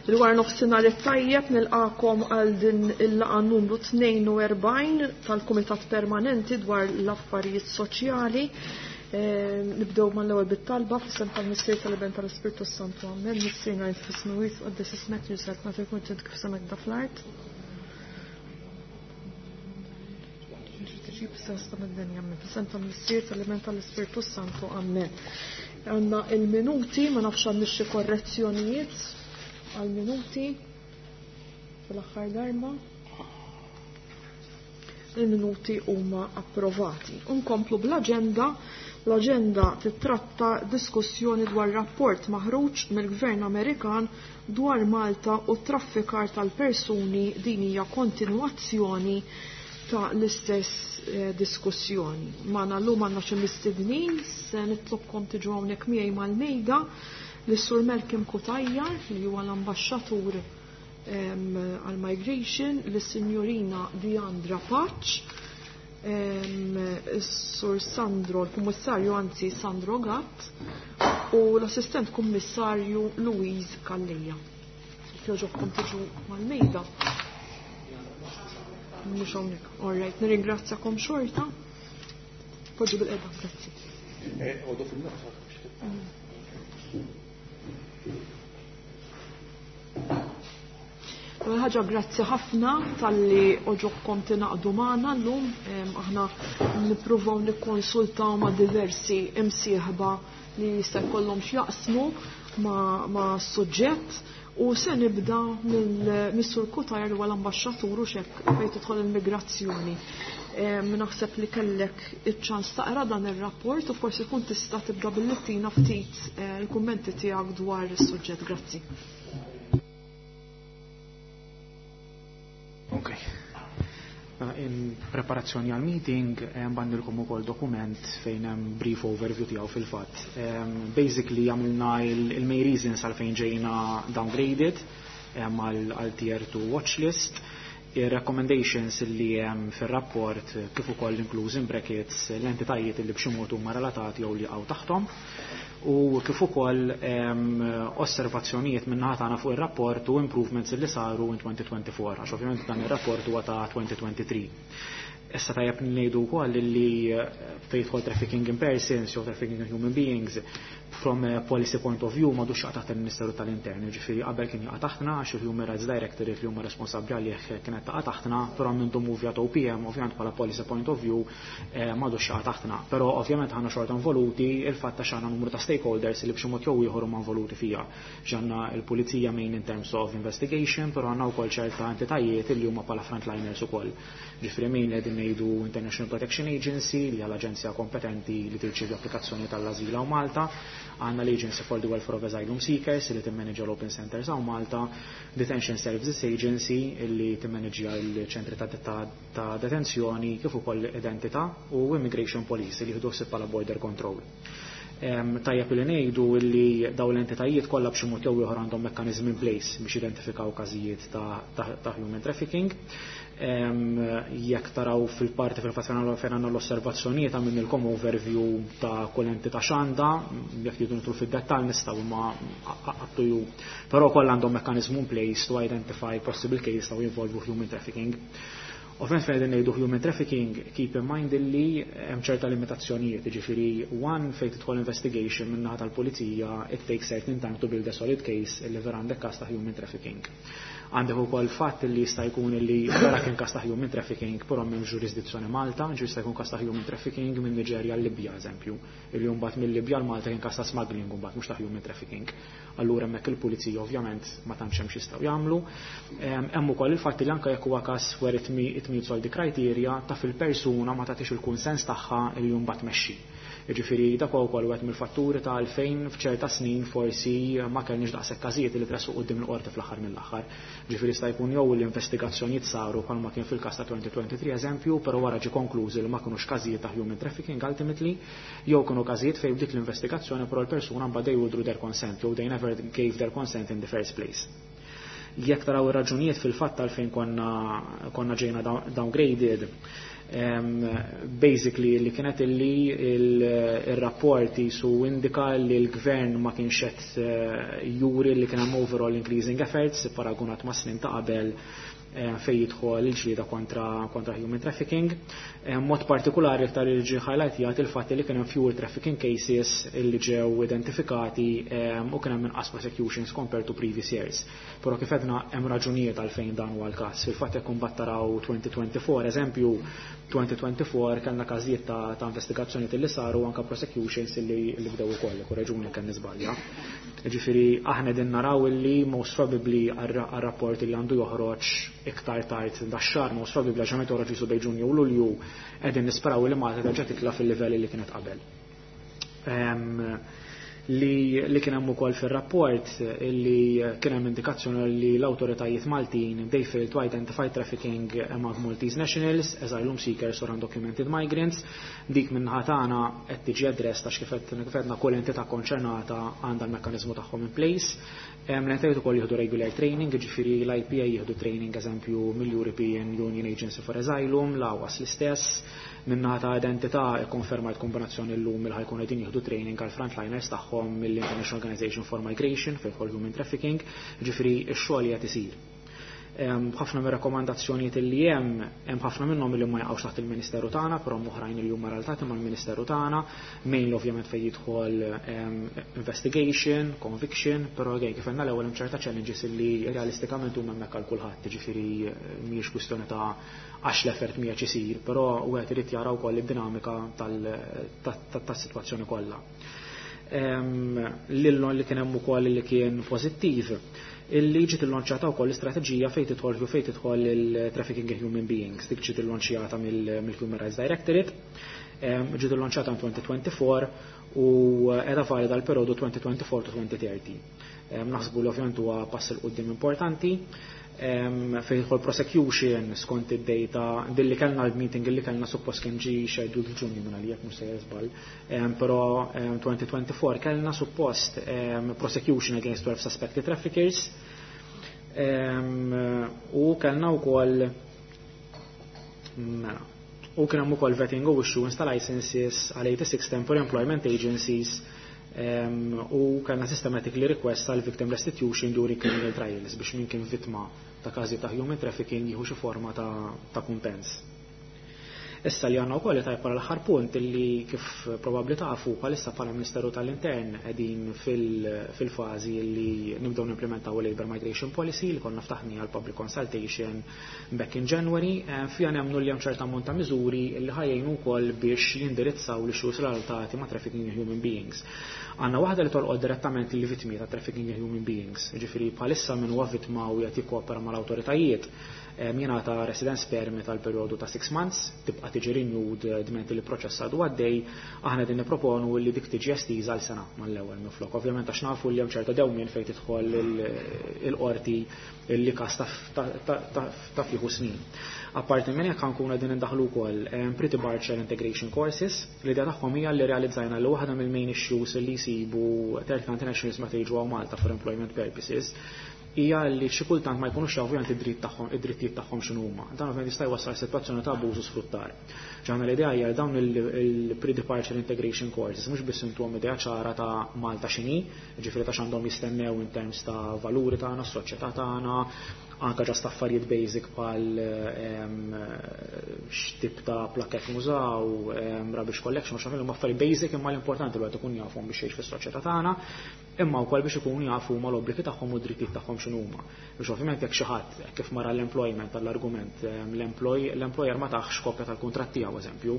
Il-wara nofsinhar it-tajjeb nilqakom għal din il-laqgħa numru 42 tal-Kumitat Permanenti dwar l-Affarijiet Soċjali. Eh, nibdew mal-ewwel bit-talba f'isem tal-Missier tal-Iben tal-Ispirtu Santu. Amen. Missierna int fis-smewwiet tqaddes ismek jużat nagħti kuntent kif semek da fl-art. Ġib sens ta' mid-dinja, amen. F'isem tal-Missier tal-Iben tal-Ispirtu Santu. Amen. Għandna il-minuti, ma nafx għandix xi korrezzjonijiet għal-minuti fl-aħħar darba. Il-minuti huma approvati. Unkomplu bl-aġenda. L-aġenda titratta diskussjoni dwar rapport maħruġ mill-Gvern Amerikan dwar Malta u traffikar tal-persuni din hija kontinwazzjoni ta' l-istess eh, diskussjoni. Magħna llum għandna xi mistednin, se nitlobkom tiġu hawnhekk miegħi mal-mejda lis-Sur Malcolm Cutajar li huwa l-ambaxxatur għal-migration, lis-Sinjorina Diandra Paċ, is-Sur Sandro, l-Kummissarju anzi Sandro Gatt u l-Assistent Kummissarju Louise Calleja. Jogħġobkom tiġu mal-mejda. Mhux hawnhekk. All right, nirringrazzjakom xorta. Poġġu bil-qeda, grazzi. Għodu fil-nofs. L-ewwel ħaġa grazzi ħafna talli oġobkom tingħaqdu magħna llum. Aħna nippruvaw nikkonsultaw ma' diversi imsieħba li jista' jkollhom x'jaqsmu ma' suġġett u se nibda mill-Sur Cutajar huwa l-ambaxxatur u xek fejn tidħol il-migrazzjoni. Naħseb li kellek iċ-ċans taqra dan ir-rapport u forsi tkun tista' tibda billi tina ftit il-kummenti tiegħek dwar is-suġġett. Grazzi. Ok. In preparazzjoni għal meeting bgħatnilkom ukoll dokument fejn hemm brief overview tiegħu fil-fatt. Basically għamilna il-main reasons għal fejn ġejna downgraded għal tier 2 watch list, il-recommendations li hemm fir-rapport kif ukoll inkluż in brackets l-entitajiet li b'xi mod huma relatati jew li jaqgħu taħtom u kif ukoll osservazzjonijiet min-naħa tagħna fuq ir-rapport u improvements li saru in 2024 għax ovvjament dan ir-rapport huwa ta' 2023. Issa tajjeb ngħidu wkoll li fejn jidħol trafficking in persons jew trafficking in human beings from a policy point of view m'għadux jaqa' taħt il-Ministeru tal-Intern, ġifieri qabel kien jaqa' taħtna għax il-Human Rights Directorate li huma responsabbli għalih kienet taqa' taħtna, però minn dum movja OPM ovvjament bħala policy point of view m'għadux jaqa' taħtna. Però ovvjament aħna xorta involuti il-fatt ta' x'għandna numru ta' stakeholders li b'xi mod jew ieħor huma involuti fiha. Għandna il-pulizija main in terms of investigation, però għandna wkoll ċerta entitajiet li huma bħala frontliners ukoll. Ġifieri main qegħdin ngħidu International Protection Agency li hija l-aġenzija kompetenti li tirċievi applikazzjoni tal-azil hawn Malta, għandna l-Agency for the Welfare of Asylum Seekers li timmanagġa l-Open Centers hawn Malta, Detention Services Agency li timmanagġa l-ċentri ta' detenzjoni kif ukoll identità u Immigration Police li jieħdu ħsieb bħala border control. Tajjeb li ngħidu li dawn l-entitajiet kollha b'xi mod jew ieħor għandhom mekkaniżmi in place biex identifikaw każijiet ta' human trafficking. Jekk taraw fil-parti fil-fatt fejn għandna l-osservazzjonijiet għamilnilkom overview ta' kull entità x'għandha, jekk tridu nidħlu fid-dettall nistgħu imma up to you. Però kollha għandhom mekkaniżmu in place to identify possible case ta' involvu human trafficking. Ovvjament fejn qegħdin ngħidu human trafficking, keep in mind illi hemm ċerta limitazzjonijiet, jiġifieri one fejn tidħol investigation min-naħa tal-pulizija, it takes certain time to build a solid case illi vera għandek każ ta' human trafficking. Għandek ukoll fatt li jista' jkun li vera kien każ ta' human trafficking, però m'hemm ġurisdizzjoni Malta, ġi jista' jkun każ ta' human trafficking minn Niġerja l Libja eżempju, illi mbagħad mill-Libja l Malta kien każ ta' smuggling mbagħad mhux ta' human trafficking. Allura hemmhekk il-pulizija ovvjament ma tantx hemm x'jistgħu jagħmlu. Hemm ukoll il-fatt li anke jekk huwa każ where it meets all the criteria ta' fil-persuna ma tagħtix il-kunsens tagħha li mbagħad tmexxi. Jiġifieri dak huwa wkoll wieħed mill-fatturi ta' għalfejn f'ċerta snin forsi ma kellniex daqshekk każijiet li tressqu quddiem il-qorti fl-aħħar mill-aħħar. Ġifieri jista' jkun jew l-investigazzjonijiet saru bħalma kien fil-każ ta' 2023 eżempju, però wara ġie konklużi li ma kinux każijiet ta' human trafficking ultimately, jew kienu każijiet fejn bdiet l-investigazzjoni però l-persuna mbagħad they withdrew their consent jew they never gave their consent in the first place. Jekk taraw ir-raġunijiet fil-fatt għalfejn konna ġejna downgraded, Basically li kienet illi il-rapport jisu indika li l-gvern ma kienx qed juri li kien hemm overall increasing efforts paragunat ma' snin ta' qabel fej jidħol il-ġlieda kontra human trafficking. Mod partikolari iktar li ġie highlight jgħid il-fatt li kien hemm fewer trafficking cases li ġew identifikati u kien hemm inqas prosecutions compared to previous years. Però kif għedna, hemm raġunijiet għalfejn dan huwa l-każ. Fil-fatt, jekk imbagħad taraw 2024, eżempju, 2024 kellna każijiet ta' investigazzjoni li saru, anka prosecutions li bdew ukoll, korreġuni kemm niżbalja. Ġifieri aħna din naraw illi most probably għar-rapport li għandu joħroġ iktar tard dax-xahar, most probably għax joħroġ jisu bejn Ġunju u Lulju, qegħdin nisperaw li Malta terġa' titla' fil-livelli li kienet qabel. Li kien hemm ukoll fir-rapport li kien hemm indikazzjoni li l-awtoritajiet Maltin, they failed to identify trafficking among Maltese nationals, asylum seekers or undocumented migrants. Dik minn tagħna qed tiġi addressed għax kif għedna, kull entità konċernata għandha l-mekkaniżmu tagħhom in place. L-entitajiet ukoll jieħdu regular training, ġifieri l-IPA jieħdu training, eżempju, mill-European Union Agency for Asylum, l-EASO l-istess. Min-naħa ta' identità konfermajt kombinazzjoni llum il ħa jkunu qegħdin jieħdu training għal frontliners tagħhom mill-International Organization for Migration fejn human trafficking, ġifieri x-xogħol qed isir. Ħafna mir-rakkomandazzjonijiet li hemm ħafna minnhom li ma jaqgħux taħt il-Ministeru tagħna, però oħrajn li huma relatati mal-Ministeru tagħna, mainly ovvjament fejn jidħol investigation, conviction, però għej kif għandna l-ewwel, hemm ċerta challenges li realistikament huma hemmhekk għal kulħadd, ġifieri mhijiex kwistjoni ta' għax l-effort mhijiex isir, però wieħed irid jara wkoll id-dinamika tas-sitwazzjoni kollha. Lillon li kien hemm ukoll li kien pożittiv illi ġiet illonċjata wkoll l-istrateġija fejn tidħol il-trafficking in human beings. Dik ġiet illonċjata mill-Human Rights Directorate, ġiet illonċjata 2024 u qiegħda valida l-periodu 2024 to 2030. Naħsbu li ovvjament huwa pass 'il quddiem importanti. Fejn jidħol prosecution, skont id-data dilli kellna, l-meeting li kellna suppost kien ġi scheduled f'Ġunju minn għalija, mhux sejjer żball, però 2024 kellna suppost prosecution against 12 suspected traffickers u kellna wkoll, mela, u kien hemm ukoll vetting u issuance ta' licenses għal 86 temporary employment agencies u kellna systematically request għal victim restitution during criminal trials biex min kien vittma ta' każi ta' human trafficking jieħu xi forma ta' kumpens. Issa li għandna wkoll tajb l-aħħar punt li kif probabbli tafu, bħalissa bħala Ministeru tal-Intern qegħdin fil-fażi li nibdew nimplementaw il-Labor Migration Policy li konna ftaħni għal public consultation back in January. Fija nemmnu li hemm ċerta ammont ta' miżuri li ħa jgħinu wkoll biex jindirizzaw l-issues relatati ma' trafficking in human beings. Għandna waħda li tolqod direttament il-vittmi ta' trafficking in human beings, ġifieri bħalissa min huwa vittma u jagħti kopera mal-awtoritajiet jingħata residence permit għal periodu ta' 6 months, tibqa' tiġi renewed dment li l-proċess għadu għaddej. Aħna din nipproponu li dik tiġi estiża għal sena mal-ewwel minflok. Ovvjament għax nafu li hemm ċerta dewmien fejn tidħol il-qorti li każ ta' fieħu snin. Apparti minn hekk, nkunu qegħdin indaħlu wkoll pre-departure integration courses. L-idea tagħhom hija li realizzajna li waħda mill-main issues li jsibu third country nationals meta jiġu Malta for employment purposes hija li xi kultant ma jkunux jafu id-dritt tagħhom, id-drittijiet tagħhom x'inhu huma. Dan ovvjament jista' jwassal sitwazzjoni ta' abbuż u sfruttar. Ġaħna l-idea hija dawn il-pre-departure integration courses mhux biss intuhom idea ċara ta' Malta x'inhi, ġifieri ta' x'għandhom jistennew in terms ta' valuri tagħna, s-soċjetà tagħna, anka just affarijiet basic bħal x'tip ta' plakett nużaw, rubbish collection, mhux huma affarijiet basic imma l-importanti li wieħed ikun jafhom biex jgħix fis-soċjetà tagħna, imma wkoll biex ikunu jafu huma l-obbligi tagħhom u d-drittijiet tagħhom x'inhu huma. Biex ovvjament jekk xi ħadd kif mara l-employment tal-argument l-employer ma taħx kopja tal-kuntratt tiegħu, eżempju,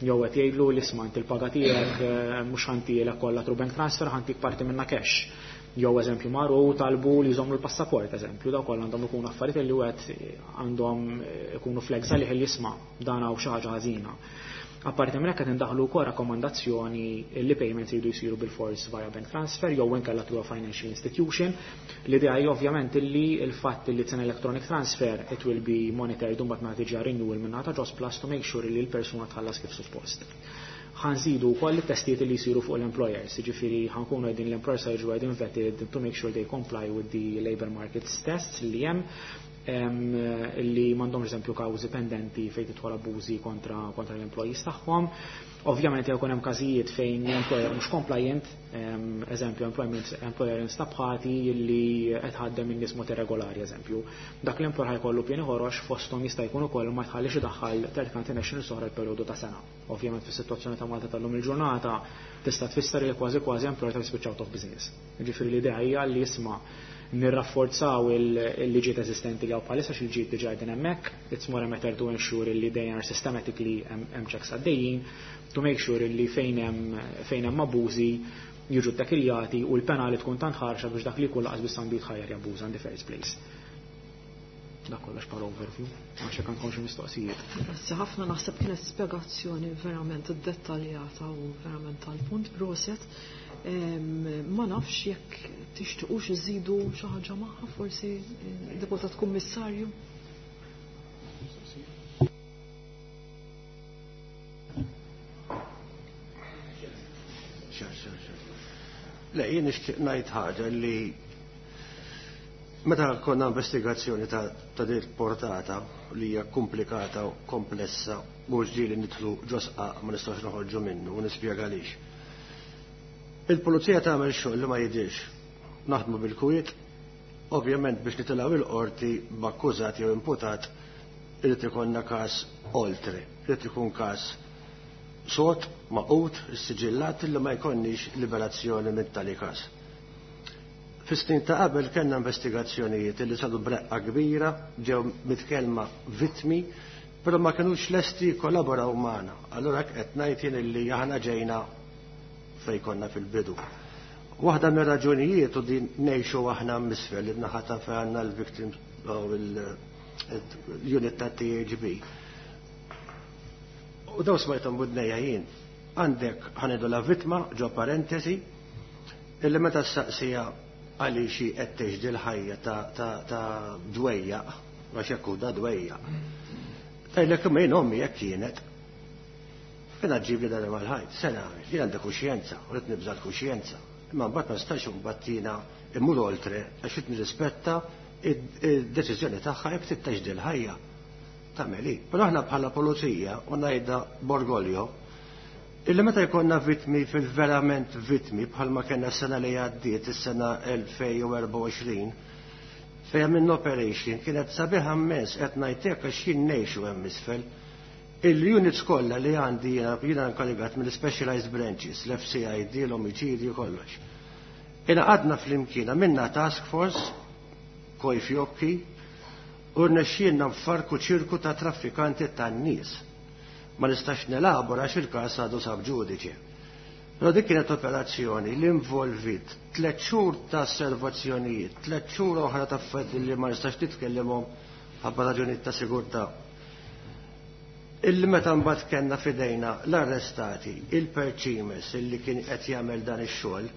jew qed jgħidlu li isma' inti l-paga tiegħek mhux ħa ntihielek kollha through bank transfer, ħa ntik parti minna cash, jew eżempju marru talbu li jżommu l-passaport, eżempju, daw kollha għandhom ikunu affarijiet li wieħed għandhom ikunu flags għalih li jisma' dan hawn xi ħaġa ħażina. Apparti minn hekk, qed indaħlu wkoll rakkomandazzjoni li payments jridu jsiru bil-fors via bank transfer jew inkella through a financial institution. L-idea hija ovvjament li l-fatt li it's an electronic transfer, it will be monitored u mbagħad meta tiġi renewal minn ta' Jobsplus to make sure li l-persuna tħallas kif suppost. Ħa nżidu wkoll it-testijiet li jsiru fuq l-employers, jiġifieri ħa nkunu qegħdin l-employers jiġu qegħdin vetted to make sure they comply with the labor market tests li hemm. Li m'għandhomx eżempju kawżi pendenti fejn tidħol abbużi kontra l-employees tagħhom. Ovvjament jekk hemm każijiet fejn l-employer mhux compliant, eżempju employment employer instab ħati li qed ħaddem in-nies mod irregolari eżempju. Dak l-employer ħa jkollu pieni ħorox, fosthom jista' jkun ukoll ma jħallix idaħħal third country nationals oħra l-perjodu ta' sena. Ovvjament fis-sitwazzjoni ta' Malta tal-lum il-ġurnata tista' tfisser li kważi kważi employer ta' jispiċċa out of business. Ġifieri l-idea hija li jisma' nirrafforzaw il-liġijiet eżistenti li hawn bħalissa, x'il-liġijiet diġà qegħdin hemmhekk, it's more a matter to ensure li they are systematically hemm checks għaddejjin to make sure li fejn hemm abbużi jiġu ttakkiljati u l-penali tkun tant ħarxa biex dak li jkun lanqas biss għandu jitħajjar jabbuża in the first place. Dak kollox bħala overview, għax jekk għandkom xi mistoqsijiet. Grazzi ħafna, naħseb kienet spjegazzjoni verament dettaljata u verament tal-punt, proset. Ma nafx jekk tixtiqux iżidu xi ħaġa magħha forsi, Deputat Kummissarju. Le, jien nixtieq ngħid ħaġa li meta konna investigazzjoni ta' din portata li hija komplikata u komplessa, mhux ġieli nidħlu ġo sqaq ma nistgħux noħorġu minnu, u nispjega għaliex. Il-pulizija tagħmel xogħol li ma jidhirx. Naħdmu bil-kwiet, ovvjament biex nitilgħu il-qorti b'akkużat jew imputat irid ikollna każ oltre, irid ikun każ sod, magħqud, siġillat li ma jkollniex liberazzjoni minn tali każ. Fis-snin ta' qabel kellna investigazzjonijiet li saru b'reqqa kbira, ġew mitkellma vittmi, però ma kinux lesti jikkollaboraw magħna. Allura qed ngħid jien illi aħna ġejna fejn konna fil-bidu. Waħda mir-raġunijiet, u din ngħixu aħna misfel li naħa ta' fejn għandna l-victim l-unit ta' THB. U daw smajthom b'widnejja jien. Għandek ħa ngħidu la vittma ġo parentesi illi meta s-saqsija għaliex qed tgħix l-ħajja ta' dwejjaq, għax hekk da dwejjaq. Tgħidlek imma jien ommi jekk kienet. Jiena ġib li dan mal-ħajt, sena, jien għandi kuxjenza, u rrid nibża l-kuxjenza. Imma mbagħad ma nistax imbagħad jiena immur oltre għax rid nirrispetta id-deċiżjoni tagħha jekk trid tgħix l-ħajja. Tagħmel hi. Però aħna bħala pulizija, u ngħidha b'orgoglio, illi meta jkollna vittmi, fil-verament vittmi, bħalma kellna s-sena li għaddiet, is-sena 2024, fejn minn operation kienet sabiħa immens, qed ngħidlek għax jien ngħixu hemm isfel. Il-units kollha li għandi jiena, jiena nkarigat mill-specialized branches, l-FCID, l-omiċidju, kollox. Ingħaqadna flimkien, minna task force, koj fjokki, u rnexxielna nfarku ċirku ta' traffikanti tan-nies. Ma nistax nelabora għax il-każ għadu sub judice. Però dik kienet operazzjoni li involvit 3 xhur ta' osservazzjonijiet, 3 xhur oħra ta' affarijiet li ma nistax nitkellimhom ħabba raġunijiet ta' sigurtà. Illi meta mbagħad kellna fidejna l-arrestati, il-perċimes illi kien qed jagħmel dan ix-xogħol,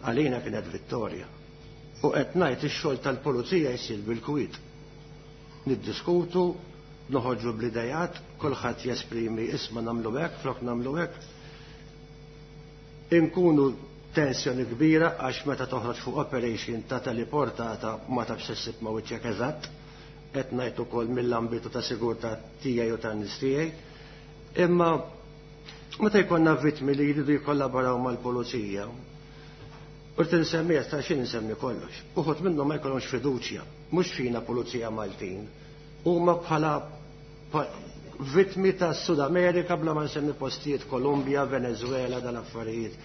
għalina kienet vittorja. U qed ngħid ix-xogħol tal-pulizija jsir bil-kwiet. Niddiskutu, noħorġu bl-idejat, kulħadd jesprimi, isma' nagħmlu hekk, flok nagħmlu hekk. Inkunu tensjoni kbira għax meta toħroġ fuq operation ta' teleportata ma tafx issib ma' wiċċek eżatt, qed ngħid ukoll mill-ambitu ta' sigurtà tiegħi u tan-nies tiegħi. Imma meta jkollna vittmi li jridu jikkollaboraw mal-pulizija, u rrid insemmi ta' xi nsemmi kollox. Uħud minnhom ma jkollhomx fiduċja, mhux fina pulizija Maltin, huma bħala vittmi ta' Sud Amerika, bla ma nsemmi postijiet, Kolumbja, Venezuela, dal-affarijiet.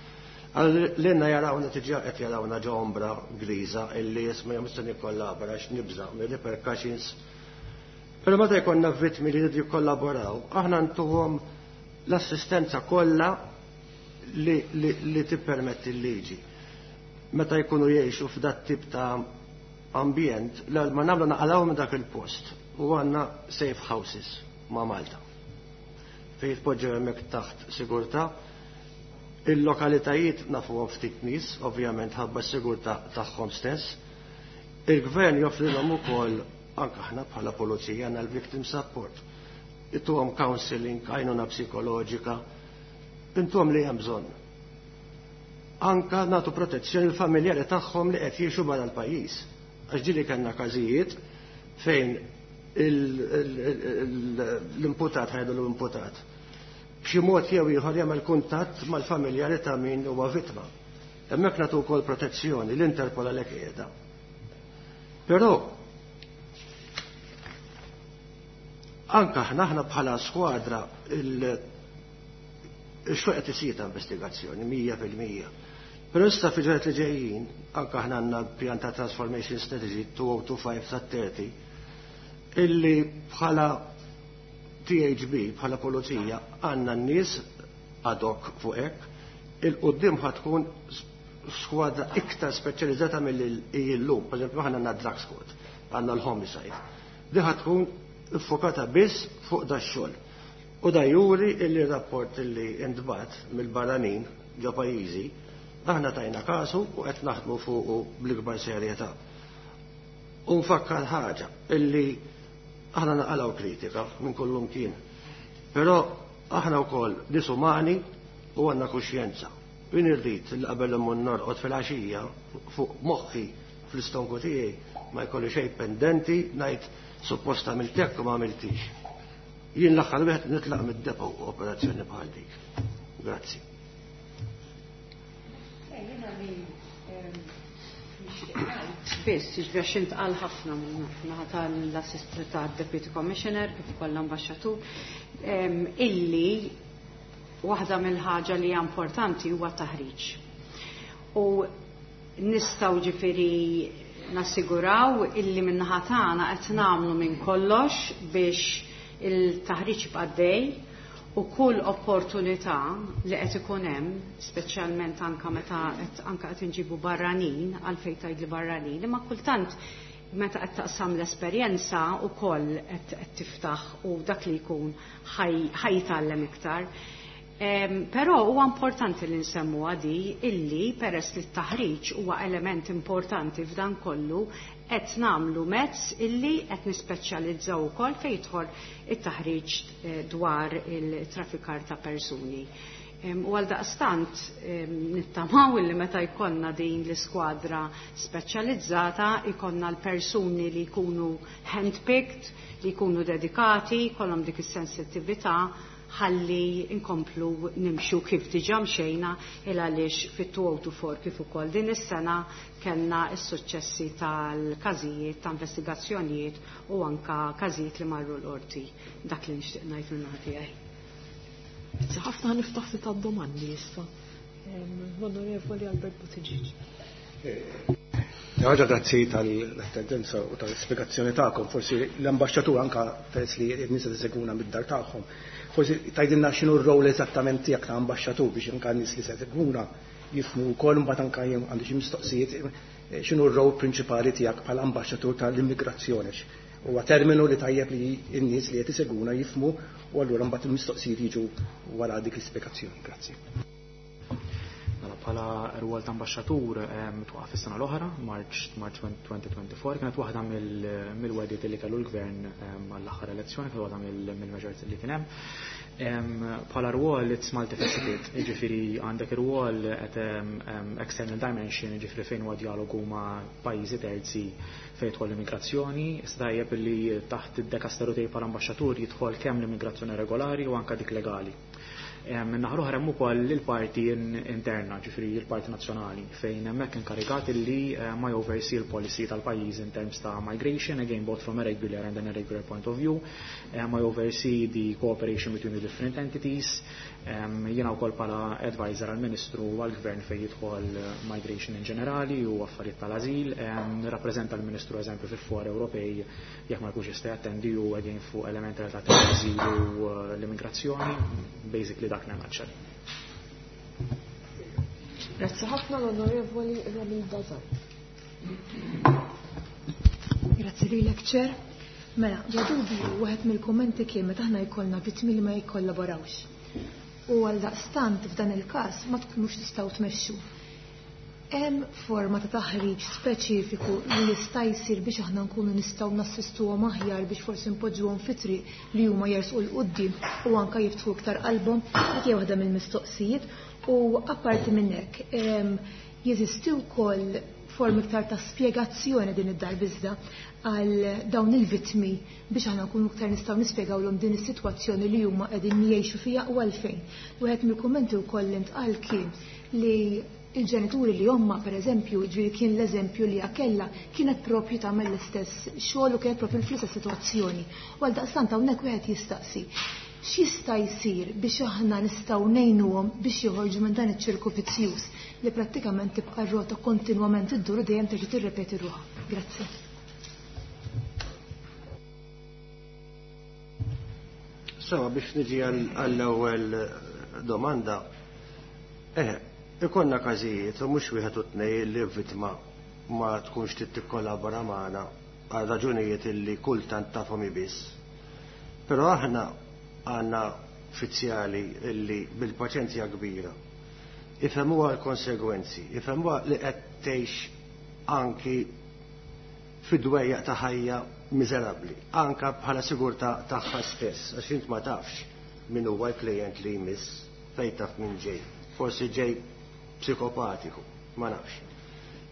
L-inna jarawna tiġa qed jarawna ġo ombra griża illi jisma' jom nikkollabora għax nibża' mir-repercussions. Però meta jkollna vittmi li jridu jikkollaboraw, aħna ntuhom l-assistenza kollha li tippermetti l-liġi. Meta jkunu jgħixu f'dat tip ta' ambjent, ma nagħmlu naqalgħu minn dak il-post u għandna safe houses ma' Malta. Fejn jitpoġġew hemmhekk taħt sigurtà. Il-lokalitajiet nafuhom ftit nies, ovvjament ħabba s-sigurtà tagħhom stess. Il-gvern joffrilhom ukoll, anke aħna bħala pulizija għandna l-victim support. Intuhom counseling, għajnuna psikoloġika, intuhom li hemm bżonn. Anka nagħtu protezzjoni l-familjari tagħhom li qed jgħixu barra l-pajjiż. Għax ġieli kellna każijiet Fejn l-imputat, ħajdu l-imputat, b'xi mod jew ieħor jagħmel kuntatt mal-familjari ta' min huwa vittma. Hemmhekk nagħtu wkoll protezzjoni, l-Interpol għalhekk qiegħda. Però anka aħna bħala skwadra il-xogħol qed isir ta' investigazzjoni 100%. Però issa fi ġranet li ġejjin, anka aħna għandna pjan ta' Transformation Strategy 2025 sa 30, illi bħala THB, bħala pulizija, għandna n-nies ad hoc fuq hekk, il-qoddim ħatkun skwadra iktar speċjalizzata mill-illum. Per esempio, aħna għandna drug squad, għandna l-homicide. Di ħatkun iffokata biss fuq da xogħol. U da juri illi rapport illi intbat mill-barranin ġo pajjiżi, aħna tajna kasu u qed naħdmu fuqu bl-ikbar serjetà. U nfakkar ħaġa illi aħna naqalgħu kritika minn kullum kien. Però aħna wkoll nies umani u għandna kuxjenza. Jien irrid li qabel immur norqod fil-għaxija fuq moħħi fl-istonku tiegħi ma jkolli xejn pendenti ngħid suppost għamilt hekk u ma għamiltix. Jien l-aħħar wieħed nitlaq mid-depo operazzjoni bħal dik. Grazzi. Biss, ġifieri għax intqal ħafna minn tal-assistant ta' Deputy Commissioner kif ukoll l-ambaxxatur, illi waħda mill-ħaġa li hija importanti huwa taħriġ. U nistgħu ġifieri nassiguraw illi min-naħa tagħna qed nagħmlu minn kollox biex il-taħriġ jibqa' dej u kull opportunità li qed ikun hemm, speċjalment anka meta qed anka qed inġibu barranin, għalfejn tgħidli barranin, imma kultant meta qed taqsam l-esperjenza wkoll qed tiftaħ u dak li jkun ħajtgħallem iktar. Però huwa importanti li nsemmu għadi illi peress li t-taħriġ huwa element importanti f'dan kollu qed nagħmlu mezz illi qed nispeċjalizzaw ukoll fejn jidħol it-taħriġ dwar il-traffikar ta' persuni. U għal daqstant nittamaw illi meta jkollna din l-iskwadra speċjalizzata jkollna l-persuni li jkunu handpicked, li jkunu dedikati, jkollhom dik is-sensittività ħalli nkomplu nimxu kif diġà mxejna il għaliex fit-2024 kif ukoll din is-sena kellna s-suċċessi tal-każijiet ta' investigazzjonijiet u anka każijiet li marru l-qorti. Dak li nixtieq ngħid minn naħa tiegħi. Grazzi ħafna, niftaħ ftit għad-domandi issa. L-Onorevoli Albert Buttigieg. Ħaġa, grazzi tal-attendenza u tal-spiegazzjoni tagħkom. Forsi l-ambaxxatur anka peress li n-nies seguna mid-dar tagħhom. Forsi tgħidilna x'inhu r-rol eżattament tiegħek ta' ambaxxatur biex anka n-nies li se seguna jifhmu wkoll, mbagħad anka jien għandi xi mistoqsijiet, x'inhu r-rol prinċipali tiegħek bħala ambaxxatur tal-immigrazzjoni. Huwa terminu li tajjeb li n-nies li qed iseguna jifhmu u allura mbagħad il-mistoqsijiet jiġu wara dik l-ispjegazzjoni. Grazzi. Mela, bħala rwol ta' ambaxxatur twaqaf is-sena l-oħra, March 2024, kienet waħda mill-wegħdiet li kellu l-gvern għall-aħħar elezzjoni, kienet waħda mill-measures li kien hemm. Bħala rwol it's multifaceted, jiġifieri għandek ir-rwol at external dimension, jiġifieri fejn huwa dialogu ma' pajjiżi terzi fejn jidħol l-immigrazzjoni, issa tajjeb li taħt id-dekasteru tiegħi bħala ambaxxatur jidħol kemm l-immigrazzjoni regolari u anke dik legali. Min-naħa l-oħra hemm ukoll il-parti interna, ġifieri il-parti nazzjonali, fejn hemmhekk inkarigat li ma oversee l-policy tal-pajjiż in terms ta' migration, again both from a regular and an irregular point of view, ma oversee the cooperation between the different entities. Jiena wkoll bħala advisor għall-Ministru u għall-Gvern fejn jidħol migration in ġenerali u affarijiet tal-azil, nirrappreżenta l-Ministru eżempju fil-fora Ewropej jekk ma jkunx jista' jattendi u again fuq elementi relatati tal-azil u l-immigrazzjoni, basically dak nagħmel. Grazzi ħafna, l-Onorevoli Romilda Zammit. Grazzi lilek, Chair. Mela, bla dubju, wieħed mill-kummenti kien meta aħna jkollna vittmi li ma jikkollaborawx. U għal daqstant f'dan il-każ ma tkunux tistgħu tmexxu. Hemm forma ta' taħriġ speċifiku li jista' jsir biex aħna nkunu nistgħu nassistuhom aħjar biex forsi npoġġuhom fi triq li huma jersqu 'l quddiem u anke jiftħu iktar qalbhom? Dik hija waħda mill-mistoqsijiet. U apparti minn hekk, Jeżisti wkoll formi iktar ta' spjegazzjoni din id-darba iżda għal dawn il-vittmi biex aħna nkunu iktar nistgħu nispjegawlhom din is-sitwazzjoni li huma qegħdin jgħixu fiha u għalfejn. Wieħed mill-kummenti wkoll li ntqal kien li il-ġenituri li omma per eżempju, ġifieri kien l-eżempju li kellha kienet propju tagħmel l-istess xogħol u kienet propju fl-istess sitwazzjoni. U għaldaqstant hawnhekk wieħed jistaqsi x'jista' jsir biex aħna nistgħu ngħinuhom biex joħorġu minn dan iċ-ċirku vizzjuż li prattikament tibqa' r-rota kontinwament iddur u dejjem terġa' tirrepeti ruħha. Grazzi. Sewa biex niġi għall-ewwel domanda. Ikollna każijiet u mhux wieħed u tnej li vittma ma tkunx trid tikkollabora magħna għal raġunijiet illi kultant tafhom biss. Però aħna għandna uffiċjali illi bil-paċenzja kbira ifhmuha l-konsegwenzi, ifhmuha li qed tgħix anki fid-dwejjaq ta' ħajja miżerabbli, anka bħala sigurtà tagħha stess, għax int ma tafx min huwa l-klijent li jmiss, fejn taf min ġej. Forsi ġej psikopatiku, ma nafx.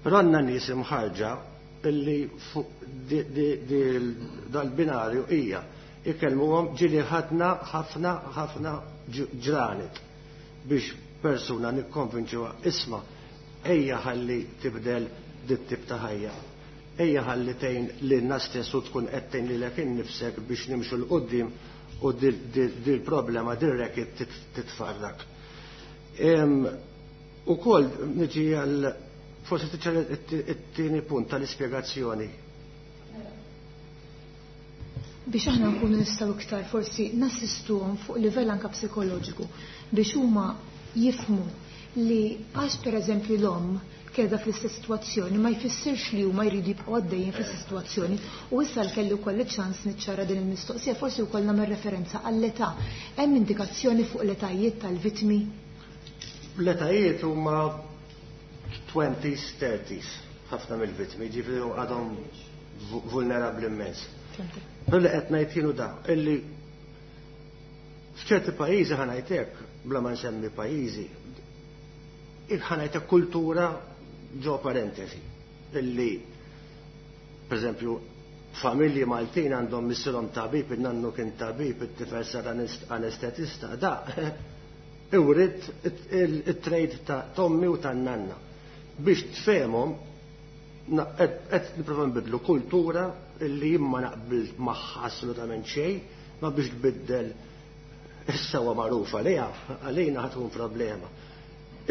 Però għandna nies imħarġa illi fuq dal-binarju hija ikellmuhom ġieli ħadna ħafna ħafna ġranet biex persuna nikkonvinċuha isma' ejja ħalli tibdel dit-tip ta' ħajja. Ejja ħalli tgħin lilna stess u tkun qed tgħin lilek innifsek biex nimxu 'l quddiem u dil-problema dir-racket titfarrak. Ukoll niġi għal forsi tiċċara it-tieni punt tal-ispjegazzjoni. Biex aħna nkunu nistgħu iktar forsi nassistuhom fuq livell anke psikoloġiku biex huma jifhmu li għax pereżempju l-omm qiegħda fl-istess sitwazzjoni ma jfissirx li huma jridu jibqgħu għaddejjin fl-istess sitwazzjoni u issa kelli wkoll iċ-ċans niċċara din il-mistoqsija forsi wkoll nagħmel referenza għall-età. Hemm indikazzjoni fuq l-etajiet tal-vittmi? L-etajiet huma 20s, 30s, ħafna mill-vittmi, ġifieri għadhom vulnerabbli immens. Però li qed ngħid kienu da, illi f'ċerti pajjiżi ħa ngħid hekk, bla ma nsemmi pajjiżi, ħa ngħid hekk kultura ġo parentesi, illi per familji Maltin għandhom missierhom tabib, in-nannu kien tabib, it-tifel sar anestetista, da iwrit it-trade ta' tommi u tan-nanna. Biex tfehmhom qed nipprova nbidlu kultura illi jien ma naqbel magħha assolutament xejn, ma biex tbiddel issa huwa magħruf għaliha, għalina ħa tkun problema.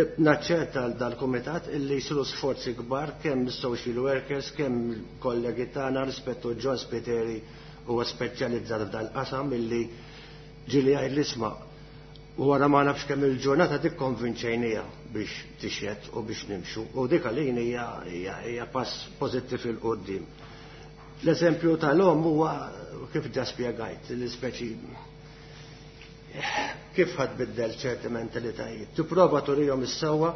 Naċċerta dal-kumitat illi jsiru sforzi kbar kemm is-social workers, kemm il-kollegi tagħna rispettu John Spiteri huwa speċjalizzat f'dal-qasam illi ġieli jgħid l-isma' wara ma nafx kemm il-ġurnata tikkonvinċejnija biex tixjed u biex nimxu u dik għalin hija pass pożittiv 'il quddiem. L-eżempju tal-omm huwa kif ġa spjegajt, l-ispeċi kif ħad biddel ċerti mentalitajiet. Tipprova turihom is-sewwa,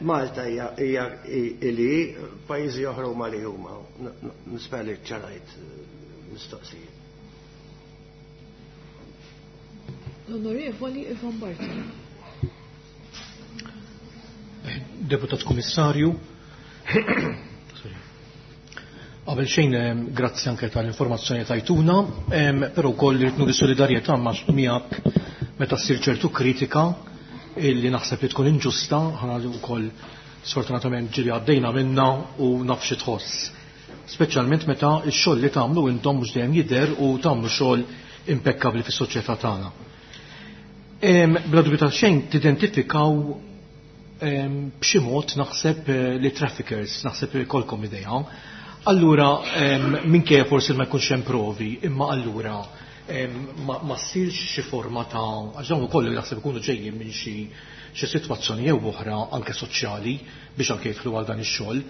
Malta hija ili pajjiżi oħra huma li huma. Nispera li ċarajt mistoqsijiet. L-Onorevoli Ivan Bartolo. Deputat Kummissarju, qabel xejn grazzi anke tal-informazzjoni tajtuna, però wkoll irid nuri solidarjetà miegħek meta ssir ċertu kritika illi naħseb li tkun inġusta, ħana wkoll sfortunatament ġieli għaddejna minna u naf xi tħoss. Speċjalment meta x-xogħol li tagħmlu intom mhux dejjem jidher u tagħmlu xogħol impekkabbli fis-soċjetà tagħna. Bla dubju ta' xejn tidentifikaw b'xi mod naħseb li traffickers, naħseb li jkollkom idea. Allura minkejja forsi ma jkunx hemm provi, imma allura ma ssirx xi forma ta' għax dawn ukoll naħseb ikunu ġejjin minn xi sitwazzjoni jew oħra anke soċjali biex anke jidħlu għal dan ix-xogħol.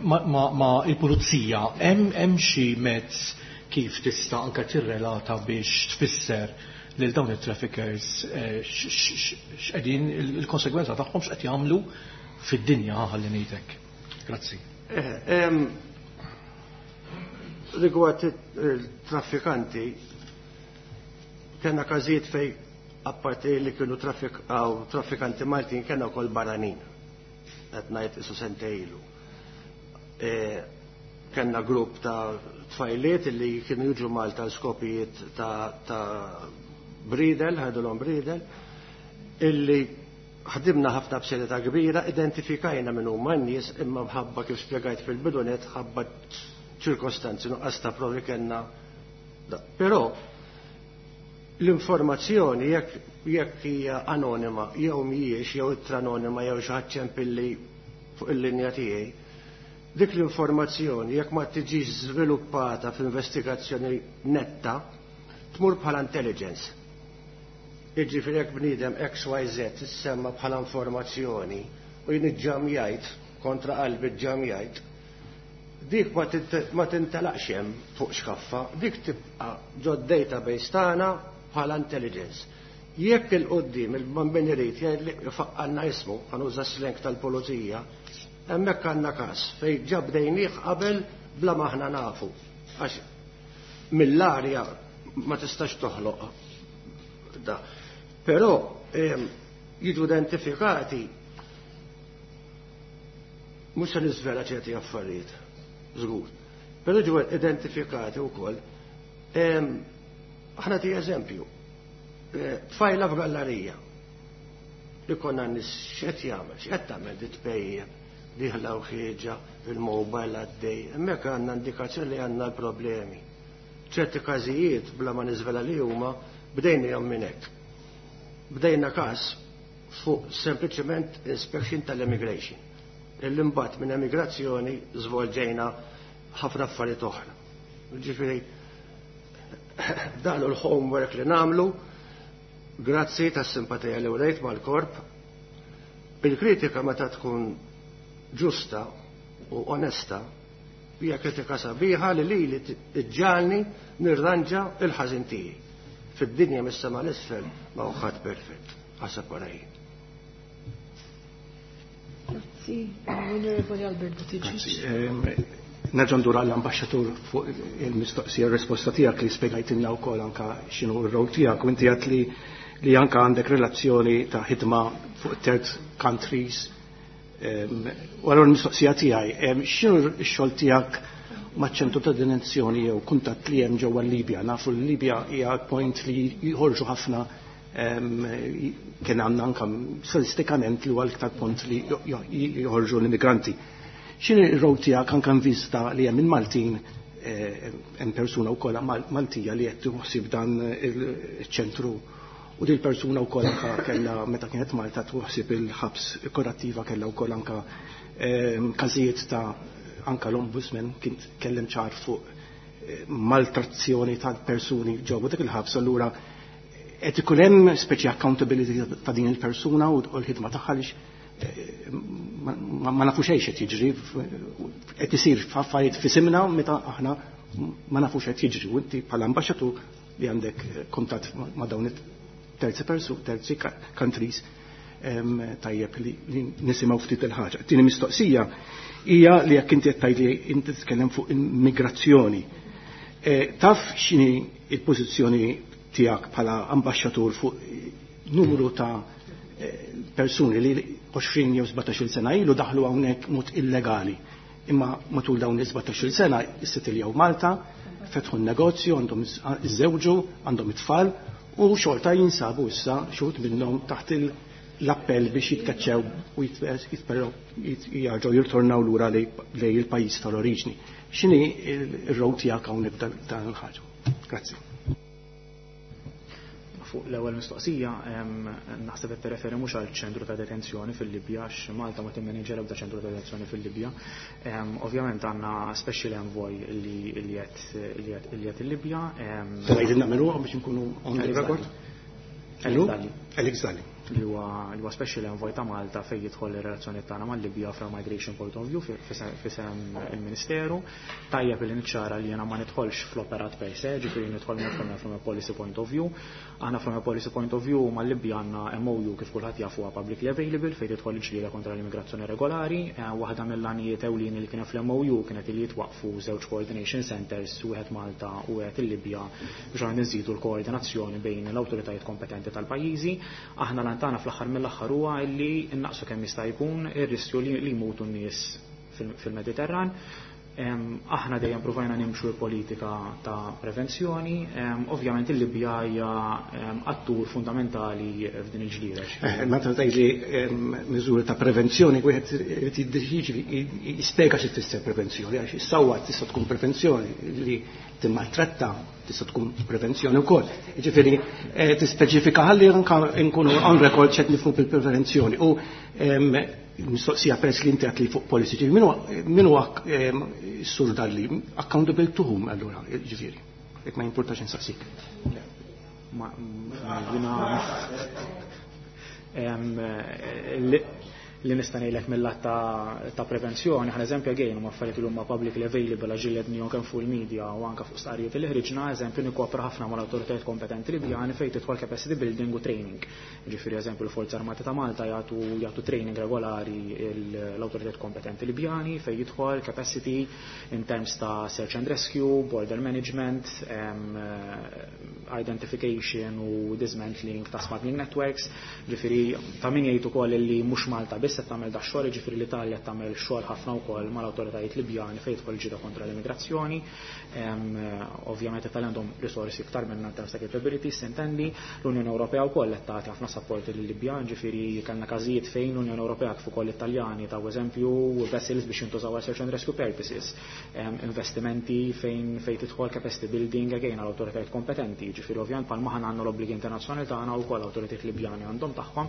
Ma il-pulizija hemm xi mezz kif tista' anke tirrelata biex tfisser lil dawn it-traffickers x'qegħdin il-konsegwenza tagħhom x'qed jagħmlu fid-dinja ħalli ngħidlek. Grazzi. Rigward il-traffikanti, kellna każijiet fej apparti li kienu traffikanti Maltin kellna wkoll barranin. qed ngħid isu sentejlu. Kellna grupp ta' tfajliet li kienu jiġu Malta skopijiet ta' bridel, ħadulhom bridel, illi ħdimna ħafna b'serjetà kbira, identifikajna minn huma n-nies imma mħabba kif spjegajt fil-bidunet ħabba ċirkostanzi nuqqas ta' provi kellna. Però l-informazzjoni jekk hija anonima jew mhijiex jew ittra anonima jew xi ħadd ċempilli fuq il-linja tiegħi, dik l-informazzjoni jekk ma tiġix żviluppata f'investigazzjoni netta tmur bħala intelligence. Jiġifieri jekk bniedem XYZ issemma bħala informazzjoni u jien iġġamjajt kontra qalbi ġġamjajt, dik ma tintelaqx hemm fuq xkaffa, dik tibqa' ġod database tagħna bħala intelligence. Jekk il-qoddim il-bambin irid jgħid li faqqalna ismu, ħanuża slang tal-pulizija, hemmhekk għandna każ fejn ġa bdejnieh qabel bla ma aħna nafu. Għax mill-arja ma tistax toħloq da. Però jiġu identifikati mhux se niżvela ċerti affarijiet, żgur. Però ġew identifikati wkoll. Aħna ti eżempju, tfajla f'gallarija li konna nis x'qed jagħmel, x'qed tagħmel di tpejjeb, diħla u ħieġa, il-mobile għaddej, hemmhekk għandna indikazzjoni li għandna l-problemi. ċerti każijiet bla ma niżvela li huma bdejna minn hekk. Bdejna każ fuq sempliċement inspection tal-immigration. Illi mbagħad minn emigrazzjoni żvolġejna ħafna affarijiet oħra. Ġifieri dan hu l-homework li nagħmlu, grazzi tas-simpatija li urejt mal-korp. Il-kritika meta tkun ġusta u onesta hija kritika sabiħa li lili iġġalni nirranġa il-ħażin tiegħi. Fid-dinja mis-sema l-isfel ma hu ħadd perfett, ħaseb wara jien. Grazzi, Onorevoli Albert Buttigieg. Nerġa' ndur għall-ambaxxatur fuq il-mistoqsija r-risposta tiegħek li spjegajtilna wkoll anka x'inhu r-rol tiegħek u inti għedt li anka għandek relazzjoni ta' ħidma fuq third countries. U allura l-mistoqsija tiegħi, x'inhu x-xogħol tiegħek maċ-ċentru ta' detenzjoni jew kuntatt li hemm ġewwa l-Libja? Nafu l-Libja hija point li jħorġu ħafna, kien għandna anka statistikament li huwa l-iktar punt li joħorġu l-immigranti. X'inhi r-rol tiegħek anke in vista li hemm il-Maltin, hemm persuna wkoll Maltija li qed tħossib dan il-ċentru u din persuna wkoll anka kellha meta kienet Malta tħossib il-ħabs korrattiva, kellha wkoll anka każijiet ta' anka l-ombudsman kien tkellem ċar fuq maltrazzjoni tal-persuni ġewwa dik il-ħabs, allura qed ikun hemm speċi accountability ta' din il-persuna u l-ħidma tagħha għaliex ma nafux xejn qed jiġri, qed isir affarijiet f'isimna meta aħna ma nafux qed jiġri u inti bħala ambaxxatur li għandek kuntatt ma' dawn terzi persu, terzi countries, tajjeb li nisimgħu ftit il-ħaġa. Tieni mistoqsija hija li jekk inti qed tgħid li inti titkellem fuq immigrazzjoni. Taf x'inhi il-pożizzjoni tiegħek bħala ambaxxatur fuq numru ta' persuni li 20 jew 17 sena ilu daħlu hawnhekk mod illegali? Imma matul dawn is-17 sena issetiljaw Malta, fetħu n-negozju, għandhom iżżewġu, għandhom it-tfal u xorta jinsabu issa xut minnhom taħt l-appell biex jitkaċċew u jarġgħu jirtornaw lura lejn il-pajjiż tal-oriġni. X'inhi r-rol tiegħek hawnhekk dan il-ħaġa? Grazzi. Fuq l-ewwel mistoqsija, naħseb qed tirreferi mhux għal ċentru ta' detenzjoni fil-Libja, għax Malta ma timmaniġġja l-ebda ċentru ta' detenzjoni fil-Libja. Ovvjament għandna special envoy li qed il-Libja. Tgħidilna min huwa biex inkunu on the record? Alex Dalli. Li huwa special envoy ta' Malta fejn jidħol ir-relazzjoni tagħna mal-Libja from migration point of view fisem il-Ministeru. Tajjeb li niċċara li jiena ma nidħolx fl-operat per se, ġifieri nidħol from a policy point of view. Aħna from a policy point of view mal-Libja għandna MOU, kif kulħadd jaf huwa publicly available, fejn tidħol il-ġlieda kontra l-immigrazzjoni regolari. Waħda mill-għanijiet ewlieni li kien fl-MOU kienet li jitwaqfu żewġ coordination centers, wieħed Malta u wieħed il-Libja, biex għan nżidu l-koordinazzjoni bejn l-awtoritajiet kompetenti tal-pajjiżi. Aħna l L-għan tagħna fl-aħħar mill-aħħar huwa li innaqsu kemm jista' jkun ir-riskju li jmutu n-nies fil-Mediterran. Aħna dejjem provajna nimxu l-politika ta' prevenzjoni, ovvjament il-Libja hija attur fundamentali f'din il-ġlieda. Meta tgħid li miżuri ta' prevenzjoni, wieħed irid jiddeċiedi jispjega xi tfisser prevenzjoni, għax issawwat tista' tkun prevenzjoni li timmaltratta tista' tkun prevenzjoni wkoll. Jiġifieri tispeċifika ħalli anke nkunu on record x'qed nifhmu bil-prevenzjoni. U mistoqsija peress li inti għedt li fuq policy, ġifieri min huwa s-sur Dalli accountable to whom allura, ġifieri, jekk ma jimpurtax insaqsik. Ma jiena li nista' ngħidlek mill-lat ta' prevenzjoni, ħan eżempju again huma affarijiet li huma publicly available għax ġillednihom kemm fuq il-media u anke fuq stqarrijiet li ħriġna, eżempju nikkopra ħafna mal-awtoritajiet kompetenti Libjani fejn tidħol capacity building u training. Ġifieri eżempju l-Forzi Armati ta' Malta jagħtu training regolari l-awtoritajiet kompetenti Libjani fejn jidħol capacity in terms ta' search and rescue, border management, identification u dismantling ta' smuggling networks. Ġifieri ta' min jgħid ukoll li mhux Malta biss qed tagħmel dax-xogħol, jiġifieri l-Italja tagħmel xogħol ħafna wkoll mal-awtoritajiet Libjani fejn jidħol ġida kontra l-immigrazzjoni. Ovvjament l-Italja għandhom risorsi iktar minna in terms ta' capabilities, intendi. L-Unjoni Ewropea wkoll qed tagħti ħafna support lil-Libjan, ġifieri kellna każijiet fejn l-Unjoni Ewropea kif ukoll l-Italjani taw eżempju vessels biex jintużaw għal search and rescue purposes, investimenti fejn tidħol capacity building again għal awtoritajiet kompetenti, ġifieri ovvjament bħalma aħna għandna l-obbligi internazzjonali tagħna wkoll awtoritajiet Libjani għandhom tagħhom.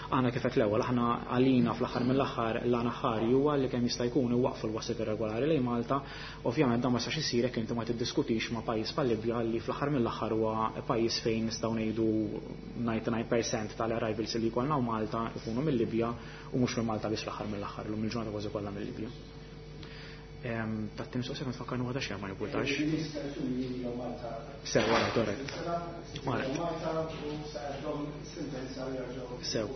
Aħna kif qed l-ewwel aħna għalina fl-aħħar mill-aħħar l-għan aħħari huwa li kemm jista' jkun iwaqfu l-waslet irregolari lejn Malta. Ovvjament dan ma jistax isir jekk inti ma tiddiskutix ma' pajjiż bħal Libja li fl-aħħar mill-aħħar huwa pajjiż fejn nistgħu ngħidu 99% tal-arrivals li jkollna Malta ikunu mill-Libja u mhux minn Malta biss fl-aħħar mill-aħħar, illum il-ġurnata kważi kollha mill-Libja. Tat-tim soqsija ma tfakkarni waħda xejn ma jimpurtax. Sew, wara, correct. Wara. Sew.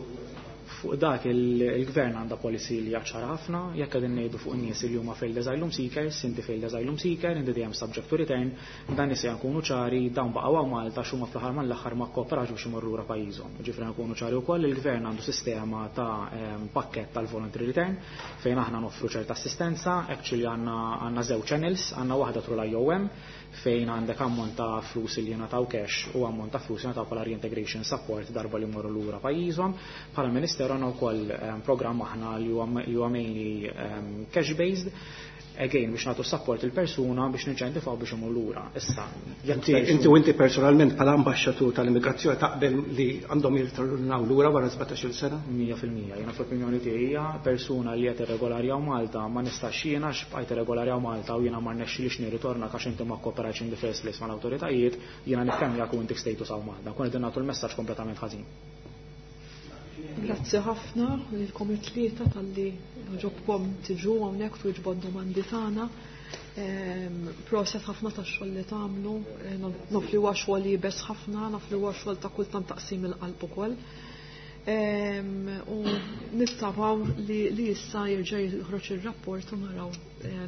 Fuq dak il-gvern għandha policy li ċara ħafna, jekk qegħdin ngħidu fuq nies li huma failed asylum seekers, inti failed asylum seeker, inti dejjem subject to return, dan nies nkunu ċari, dawn baqgħu hawn Malta x'huma fl-aħħar mal-aħħar ma kkooperax biex imorru lura pajjiżhom. Ġifieri nkunu ċari wkoll il-gvern għandu sistema ta' pakkett tal-voluntary return fejn aħna noffru ċerta assistenza, actually għandna żewġ channels, għandna waħda through l-IOM fejn għandek ammont ta' flus li jingħataw cash u ammont ta' flus jingħataw bħala reintegration support darba li jmorru lura pajjiżhom. Bħala Ministeru għandna wkoll programm aħna li huwa mainly cash based, again biex nagħtu support il-persuna biex ninċentivaw biex imur lura. Issa, jekk Inti u inti personalment bħala ambaxxatur tal-immigrazzjoni taqbel li għandhom jirritornaw lura wara 17-il sena? 100%. Jiena fl-opinjoni tiegħi hija persuna li qed irregolari hawn Malta ma nistax jiena għax bqajt irregolari hawn Malta u jiena ma rnexxilix nirritorna għax inti ma kooperajtx in the first place mal-awtoritajiet, jiena nifhem jekk inti status hawn Malta. Kun qegħdin nagħtu l-messaġġ kompletament ħażin. Grazzi ħafna lilkom it-tlieta talli ġobkom tiġu hawnhekk twieġbu d-domandi tagħna. Proset ħafna tax-xogħol li tagħmlu, naf li huwa xogħol iebes ħafna, naf li huwa xogħol ta' kultant taqsim il-qalb ukoll. U nittamaw li issa jerġa' joħroġ ir-rapport u naraw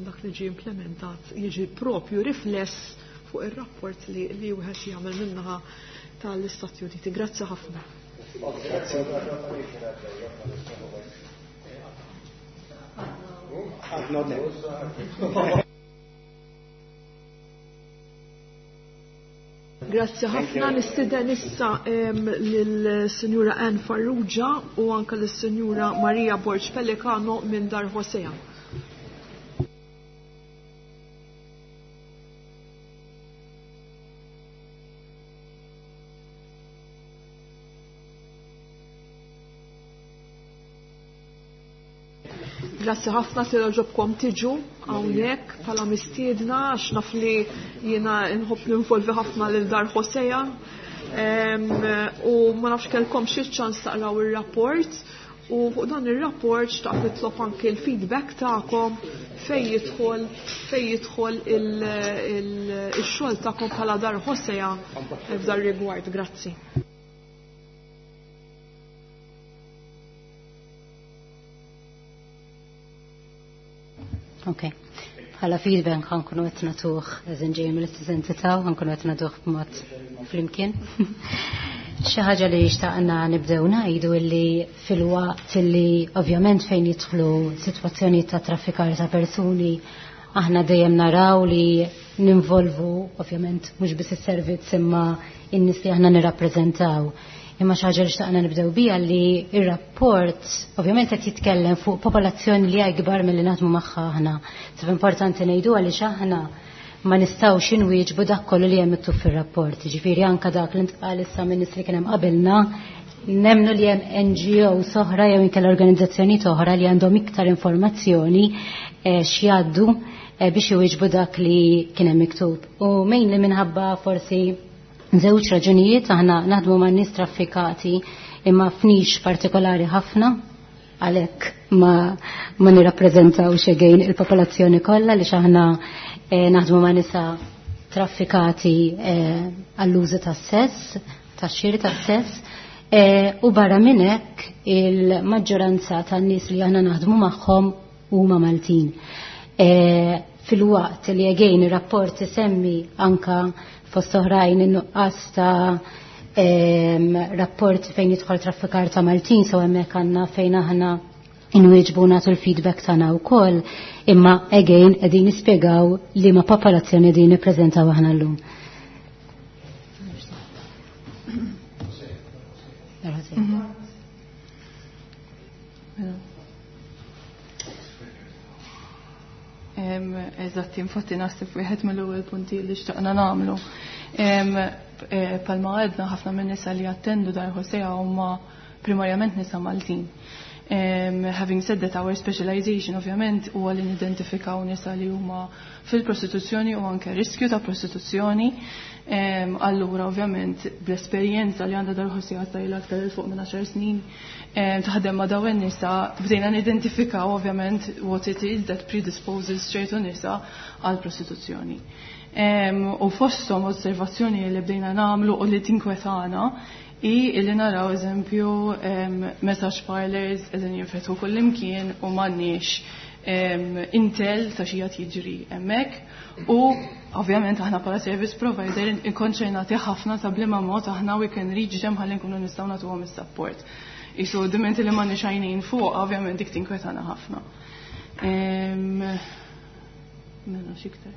dak li ġie implementat jiġi propju rifless fuq ir-rapport li wieħed jagħmel min-naħa tal-Istati Uniti. Grazzi ħafna. Grazzi ħafna. Nistieden issa lill-Sinjura Ann Farrugia u anke lis-Sinjura Maria Borg Pellicano minn Dar Hosea. Grazzi ħafna li ġobkom tiġu hawnhekk bħala mistiedna għax naf li jiena nħobb ninvolvi ħafna lil Dar Hosea. U ma nafx kellkom xi ċans taqraw ir-rapport u fuq dan ir-rapport xtaqt nitlob anke l-feedback tagħkom fejn jidħol il-xogħol tagħkom bħala Dar Hosea f'dar rigward. Grazzi. Ok. Bħala feedback ħankunu qed nagħtuh eżin ġej mill-istess entità u ħankunu qed nagħtuh b'mod flimkien. Xi ħaġa li xtaqna nibdew ngħidu illi filwaqt illi ovvjament fejn jidħlu sitwazzjoni ta' traffikar ta' persuni aħna dejjem naraw li ninvolvu ovvjament mhux biss is-servizz imma in-nies li aħna nirrappreżentaw. Imma xi ħaġa li xtaqna nibdew biha li ir-rapport ovvjament qed jitkellem fuq popolazzjoni li hija ikbar milli naħdmu magħha aħna. Sef importanti ngħidu għaliex aħna ma nistgħux inwieġbu dak kollu li hemm miktub fir-rapport. Ġifieri anke dak li ntqal issa minn nies li kien hemm qabilna nemnu li hemm NGO oħra jew inkella organizzazzjonijiet oħra li għandhom iktar informazzjoni x'jgħaddu biex iwieġbu dak li kien hemm miktub. U mejn li minħabba forsi żewġ raġunijiet aħna naħdmu ma' nies traffikati imma f'nix partikolari ħafna għalhekk ma nirrappreżentawx again il-popolazzjoni kollha li aħna naħdmu ma' nisa traffikati għall-użu tas-sess, tax-xiri tas-sess, u barra minn hekk il-maġġoranza tan-nies li aħna naħdmu magħhom huma Maltin. Fil-waqt li again ir-rapport isemmi anka fost oħrajn in-nuqqas ta' rapport fejn jidħol traffikar ta' Maltin, so hemmhekk għandna fejn aħna inwieġbu nagħtu l-feedback tagħna wkoll, imma again qegħdin nispjegaw li ma popolazzjoni qegħdin nippreżentaw aħna llum. Eżatt, infatti naħseb wieħed mill-ewwel punti li xtaqna nagħmlu. Palma għedna ħafna minn nisa li jattendu Dar Hosea huma primarjament nisa Maltin. Having said that, our specialization ovvjament huwa li nidentifikaw nisa li huma fil-prostituzzjoni u anke riskju ta' prostituzzjoni. Allura ovvjament bl-esperjenza li għandha Dar Hosea tajla aktar il fuq minn 10 snin taħdem ma' dawn nisa bdejna nidentifikaw ovvjament what it is that predisposes ċertu nisa għal prostituzzjoni. U fosthom osservazzjoni li bdejna nagħmlu u li tinkwetana i li naraw eżempju massage parlors qegħdin jinfetħu kullimkien u m'għandniex intel ta' xi qed jiġri hemmhekk. U ovvjament aħna bħala service provider inkonċernati ħafna ta' bliema mod aħna we can reach them ħalli nkunu nistgħu nagħtuhom is-support. Isu dimenti li m'għandniex għajnejn fuq, ovvjament dik tinkwetana ħafna. Mela x'iktar.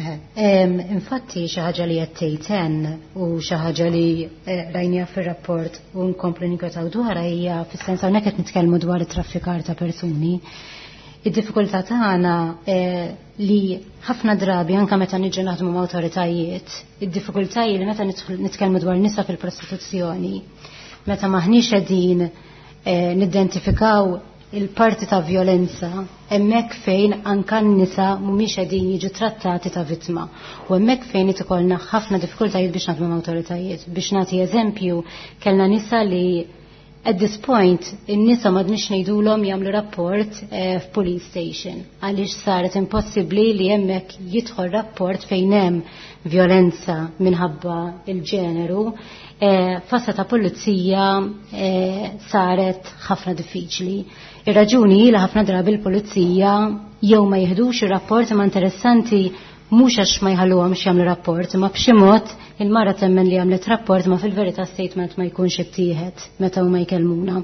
Infatti xi ħaġa li qed tgħid u xi ħaġa li rajnija fir-rapport u nkomplu ninkwetaw dwarha hija fis-sens hawnhekk qed nitkellmu dwar it-traffikar ta' persuni. Id-diffikultà tagħna li ħafna drabi anke meta niġu naħdmu ma' awtoritajiet, id-diffikultà hi li meta nitkellmu dwar nisa fil-prostituzzjoni, meta maħniex qegħdin nidentifikaw il-parti ta' violenza hemmhekk fejn anka n-nisa mhumiex qegħdin jiġu trattati ta' vittma. U hemmhekk fejn ikollna ħafna diffikultajiet biex naħdmu ma' awtoritajiet. Biex nagħti eżempju, kellna nisa li at this point in-nisa m'għadniex ngħidulhom jagħmlu rapport f'police station għaliex saret impossibbli li hemmhekk jidħol rapport fejn hemm violenza minħabba il-ġeneru. Fassa ta' pulizija saret ħafna diffiċli. Ir-raġuni li ħafna drabi l-pulizija jew ma jiħdux ir-rapport, imma interessanti mhux għax ma jħalluhomx jagħmlu rapport, imma b'xi mod il-mara temmen li għamlet rapport ma fil-verità statement ma jkunx ittieħed meta huma jkellmuna.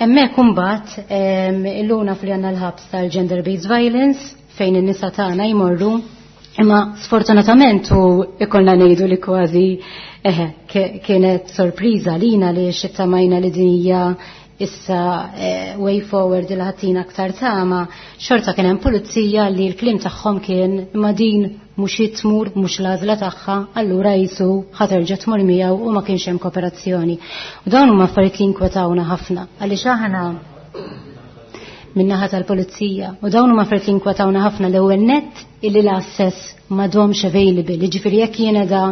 Hemmhekk imbagħad illuna fli għandna l-ħabs tal-gender based violence fejn in-nisa tagħna jmorru, imma sfortunatament u ikollna ngħidu li kważi kienet sorpriża lina li xittamajna li din hija issa way forward il ħatina aktar tama, xorta kien hemm pulizija li l-kliem tagħhom kien imma din mhux tmur, mhux l-għażla tagħha, allura jisu ħaterġa' tmur miegħu u ma kienx hemm kooperazzjoni. U dawn huma affarijiet li nkwetawna ħafna għaliex aħna min-naħa tal-pulizija. U dawn huma affarijiet li nkwetawna ħafna. L-ewwel nett illi l-access m'għadhomx available, jiġifieri jekk jiena da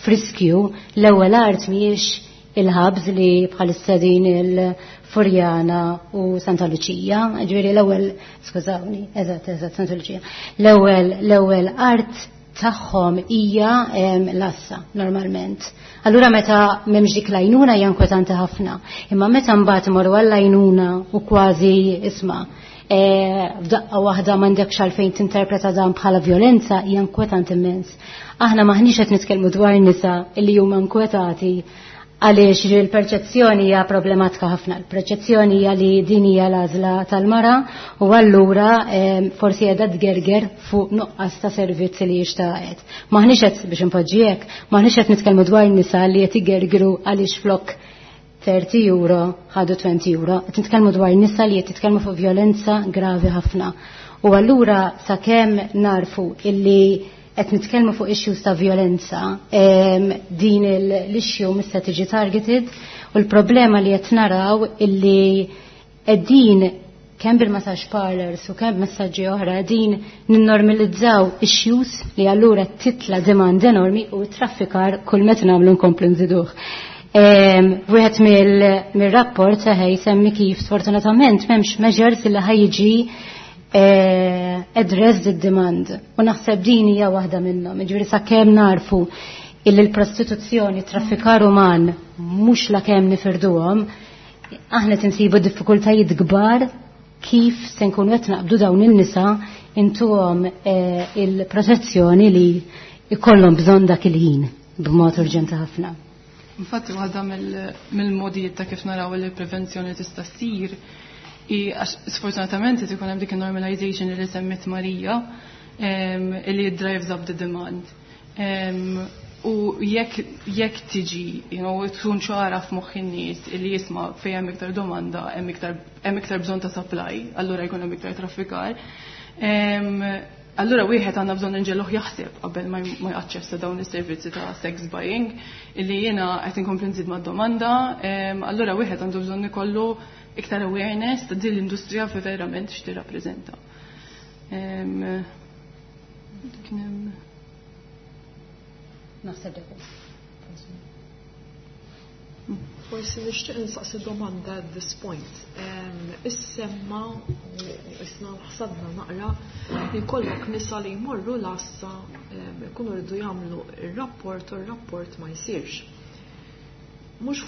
friskju, l-ewwel art mhijiex il-ħabs li bħalissa din il-Furjana u Santa Lucia, ġifieri l-ewwel, skużawni, eżatt, eżatt, Santa Lucia. L-ewwel art tagħhom hija l-assa normalment. Allura meta m'hemmx dik l-għajnuna hija inkwetanti ħafna. Imma meta mbagħad imorru għall-għajnuna u kważi isma' f'daqqa waħda m'għandekx għalfejn tinterpreta dan bħala vjolenza hija inkwetant immens. Aħna maħniex qed nitkellmu dwar nisa li huma inkwetati għaliex il-perċezzjoni hija problematika ħafna. Il-perċezzjoni hija li din hija l-għażla tal-mara u allura forsi qiegħda tgerger fuq nuqqas ta' servizzi li jixtaqet. Maħniex qed biex inpoġġi hekk, maħniex qed nitkellmu dwar nisa li qed igergru għaliex flok 30 euro ħadu 20 euro. Qed nitkellmu dwar nisa li qed jitkellmu fuq vjolenza gravi ħafna. U allura sakemm narfu illi qed nitkellmu fuq issues ta' vjolenza, din l-issue mista tiġi targeted u l-problema li qed naraw illi qegħdin kemm bil-massage parlors u kemm messaġġi oħra qegħdin ninnormalizzaw issues li allura titla demand enormi u traffikar kull meta nagħmlu nkomplu nżiduh. Wieħed mill-rapport seħej semmi kif sfortunatament m'hemmx measures li ħajġi address the demand. U naħseb din hija waħda minnhom. Jiġifieri sakemm narfu illi l-prostituzzjoni, traffikar uman mhux la kemm nifirduhom, aħna tinsibu diffikultajiet kbar kif se nkunu qed naqbdu dawn in-nisa intuhom il-protezzjoni li jkollhom bżonn dak il-ħin b'mod urġenti ħafna. Infatti waħda mill-modijiet ta' kif naraw li l-prevenzjoni tista' ssir i għax sfortunatament qed ikun hemm dik il-normalization li semmiet Marija li drives up the demand. U jekk tiġi, tkun ċara f'moħħ in-nies li jisma' fejn hemm iktar domanda, hemm iktar bżonn ta' supply, allura jkun hemm iktar traffikar. Allura wieħed għandna bżonn inġelluh jaħseb qabel ma jaċċessa dawn is-servizzi ta' sex buying, illi jiena qed inkompli nżid mad-domanda, allura wieħed għandu bżonn ikollu iktar awareness ta' din l-industrija fi verament x'tirrappreżenta. Kien hemm Naħseb dak. Forsi nixtieq insaqsi domanda at this point. Issemma isna ħsadna naqra li jkollok nisa li jmorru l-għassa jkunu rridu jagħmlu ir-rapport u r-rapport ma jsirx. Mhux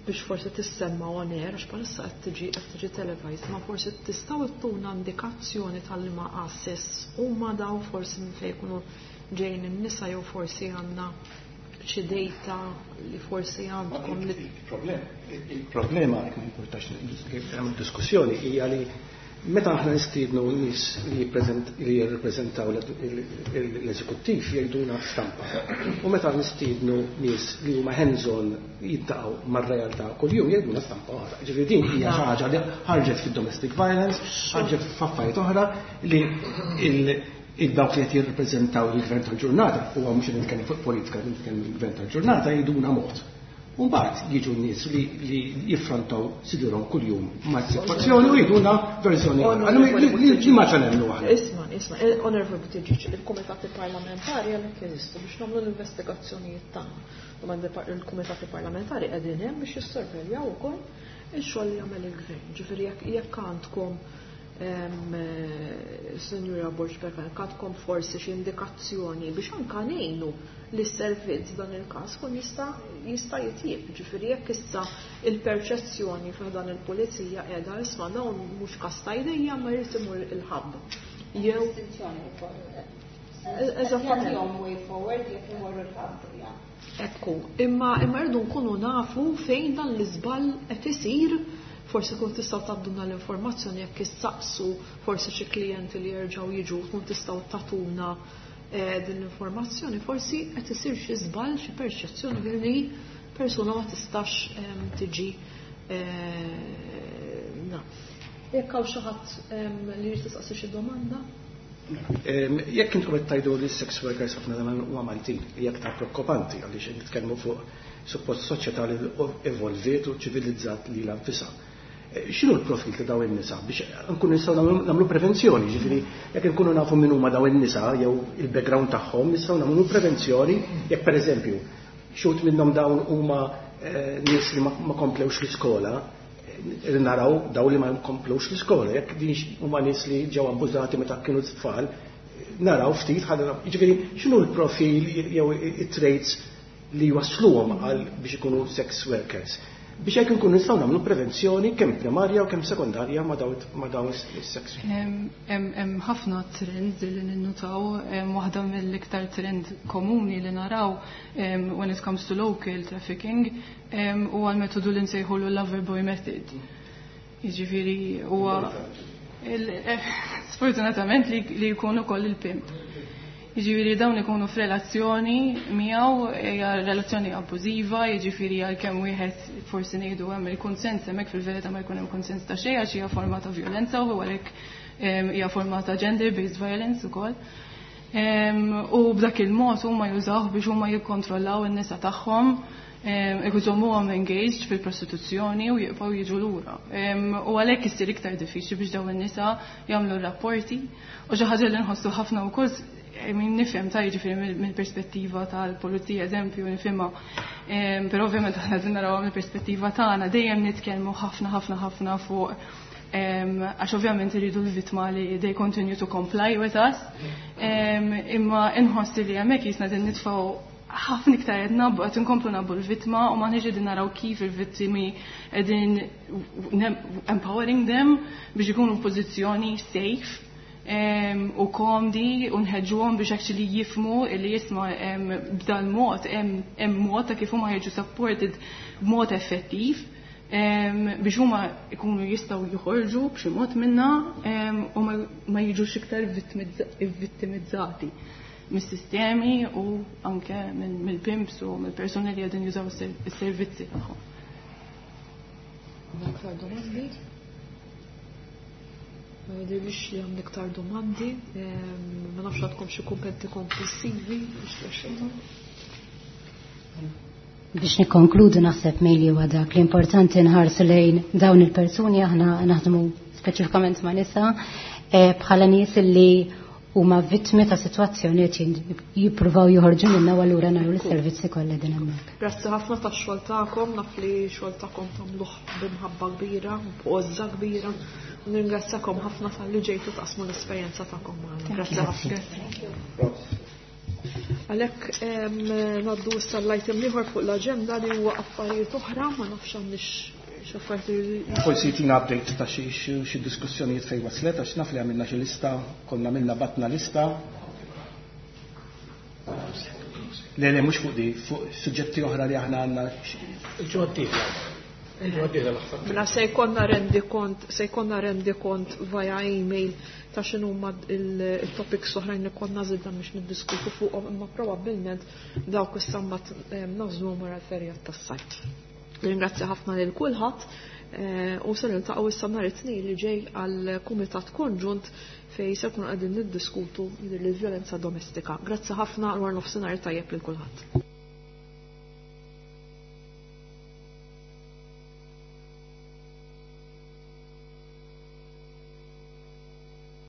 biex forsi tissemma on air, għax bħalissa qed tiġi televised, ma forsi tistgħu ttuna indikazzjoni tal-ma għassis huma daw forsi minn fejn jkunu ġejjin in-nisa jew forsi għandna xi data li forsi għandkom li Il-problema, jekk ma importax hemm diskussjoni, hija li meta aħna nistiednu nies li jirrepreżentaw l-eżekuttiv jgħiduna stampa. U meta nistiednu nies li huma hands-on jiltaqgħu mar-realtà kuljum jgħiduna stampa oħra. Ġifieri din hija xi ħaġa li ħarġet fid-domestic violence, ħarġet f'affarijiet oħra li il-dawk li qed jirrepreżentaw il-gvern tal-ġurnata, huwa mhux qed nitkellem fuq politika, qed nitkellem il-gvern tal-ġurnata jgħiduna mod. U mbagħad jiġu n-nies li jiffrontaw sidurhom kuljum mas-sitwazzjoni u jgħiduna verżjoni oħra. Allura li ma nemmnu aħna. Isma', isma', Honorable Buttigieg, il-kumitati parlamentari għalhekk jeżistu biex nagħmlu l-investigazzjonijiet tagħna. U il-kumitati parlamentari qegħdin hemm biex jissorveljaw ukoll ix-xogħol li jagħmel il-gvern. Ġifieri jekk għandkom Signora Borg Perkan, għandkom forsi xi indikazzjoni biex anka ngħinu li s-servizz dan il-każ kun jista' jitjieb. Ġifieri jekk issa il-perċezzjoni fih dan il-pulizija qiegħda isma' dawn mhux każ ta' idejja ma jrid imur il-ħabb. Jew Eżattament. Jagħtihom way forward jekk imorru l-ħabb. Ekku, imma rridu nkunu nafu fejn dan l-iżball qed isir. Forsi kun tistgħu tgħadduna l-informazzjoni jekk issaqsu forsi xi klijenti li jerġgħu jiġu tkun tistgħu tagħtuna din l-informazzjoni, forsi qed isir xi żball, xi perċezzjoni li persuna ma tistax tiġi na. Jekk hawn xi ħadd li jrid tistaqsi xi domanda? Jekk intom qed tgħidu li sex workers ħafna dawn huma Maltin, hija aktar preokkupanti għaliex nitkellmu fuq suppost soċjetà li evolviet u ċivilizzat lilha nfisha. X'inhu l-profil ta' dawn in-nisa biex nkunu nistgħu nagħmlu prevenzjoni, ġifieri jekk nkunu nafu min huma dawn in-nisa jew il-background tagħhom nistgħu nagħmlu prevenzjoni jekk pereżempju xut minnhom dawn huma nies li ma komplewx l-iskola, naraw daw li ma komplewx l-iskola, jekk din huma nies li ġew abbużati meta kienu tfal, naraw ftit ħalli ġifieri x'inhu l-profil jew it-traits li wasluhom għal biex ikunu sex workers. Biex hekk inkunu nistgħu nagħmlu prevenzjoni kemm primarja u kemm sekondarja ma' dawn is-sex. Hemm ħafna trends li ninnutaw, waħda mill-iktar trend komuni li naraw when it comes to local trafficking huwa l-metodu li nsejħulu lover boy method. Jiġifieri huwa sfortunatament li jkun ukoll il-pimp. Jiġifieri dawn ikunu f'relazzjoni miegħu, hija relazzjoni abbużiva, jiġifieri għalkemm wieħed forsi ngħidu hemm il-kunsens hemmhekk, fil-verità ma jkun hemm kunsens ta' xejn għax hija forma ta' vjolenza u għalhekk hija forma ta' gender-based violence ukoll. U b'dak il-mod huma jużawh biex huma jikkontrollaw in-nisa tagħhom, iżommuhom engaged fil-prostituzzjoni u jibqgħu jiġu lura. U għalhekk issir iktar diffiċli biex dawn in-nisa jagħmlu rapporti, u xi ħaġa li nħossu ħafna wkoll, min nifhem ta' jiġifieri mill-perspettiva tal-pulizija eżempju nifhimha, però ovvjament aħna qegħdin narawha mill-perspettiva tagħna, dejjem nitkellmu ħafna ħafna ħafna fuq, għax ovvjament iridu l-vittma li they continue to comply with us, imma inħoss li hemmhekk jisna din nitfgħu ħafna iktar qed nabbu, qed inkomplu nabbu l-vittma u ma qegħdin naraw kif il-vittimi qegħdin empowering them biex ikunu f'pożizzjoni safe u komdi u nħeġġuhom biex actually jifhmu li jisma' b'dal mod hemm mod ta' kif huma jiġu supported b'mod effettiv biex huma jkunu jistgħu joħorġu b'xi mod minna u ma jiġux iktar vittimizzati mis-sistemi u anke mill-pimps u mill-persuni li qegħdin jużaw is-servizzi tagħhom. Aktar domandi? Ma jidhirlix li għandek iktar domandi, ma nafx għandkom xi kummenti konklusivi biex tmexxu. Biex nikkonkludu, naħseb mejli huwa dak l-importanti nħarsu lejn dawn il-persuni, aħna naħdmu speċifikament ma' nisa, bħala nies li huma vittmi ta' sitwazzjoni qed jippruvaw joħorġu minna, u allura nagħmlu l-servizzi kollha din hemmhekk. Grazzi ħafna tax-xogħol tagħkom, naf li xogħol tagħkom tagħmluh b'imħabba kbira, b'għożża kbira. Nirringrazzakom ħafna talli ġejtu taqsmu l-esperjenza tagħkom magħna. Grazzi ħafna. Għalhekk ngħaddu issa l-item ieħor fuq l-aġenda li huwa affarijiet oħra, ma nafx għandix x'affarijiet. Forsi tina update ta' xi diskussjonijiet fejn waslet, għax naf li għamilna xi lista, konna għamilna, batna lista. Le, le, mhux fuq di, fuq suġġetti oħra li aħna għandna. Il-ġimgħa d-dieħla. Il-ġimgħa d-dieħla l-aħħar. Mela se jkollna rendikont via email ta' x'inhuma il-topics oħrajn li konna żidna biex niddiskutu fuqhom, imma probabbilment dawk issa mbagħad nażluhom wara l-ferjat tas-sajf. Ringrazzja ħafna lil kulħadd u se niltaqgħu issa nhar it-Tnejn li ġej għal kumitat konġunt fejn se nkunu qegħdin niddiskutu l-vjolenza domestika. Grazzi ħafna, wara nofsinhar tajjeb lil kulħadd.